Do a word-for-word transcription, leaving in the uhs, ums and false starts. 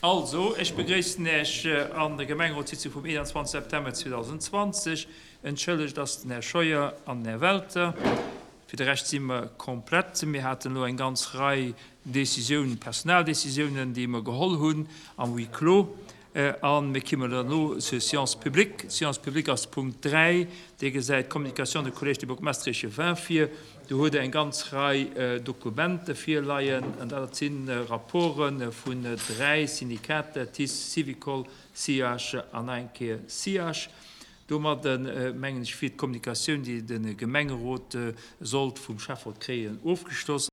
Also, ech begréissen Iech an der Gemengerotssitzung vum eenanzwanzeg September zweedausendzwanzeg. Entschëllegt ass den Här Scheuer an den Här Welter. Fir de Rescht si mer komplett. Mir haten elo eng ganz Rei Décisiounen, Personaldécisiounen, déi mer geholl hunn am Huis clos. A mir kommen elo zur Séance publique. D'Séance publique ass Punkt dräi. Dir gesäit d'Communication de Collège des bourgmestres et échevins vir. Do huet Der eng ganz Rei Dokumenter virleien. An dat si Rapporte vun dräi Syndikater, T I C E, Syvicol, C I H an eng Kéier C I H. Domadde mengen ech, wier d'Kommunikatioun, déi de Gemengerot sollt vum Schäfferot kréien, ofgeschloss.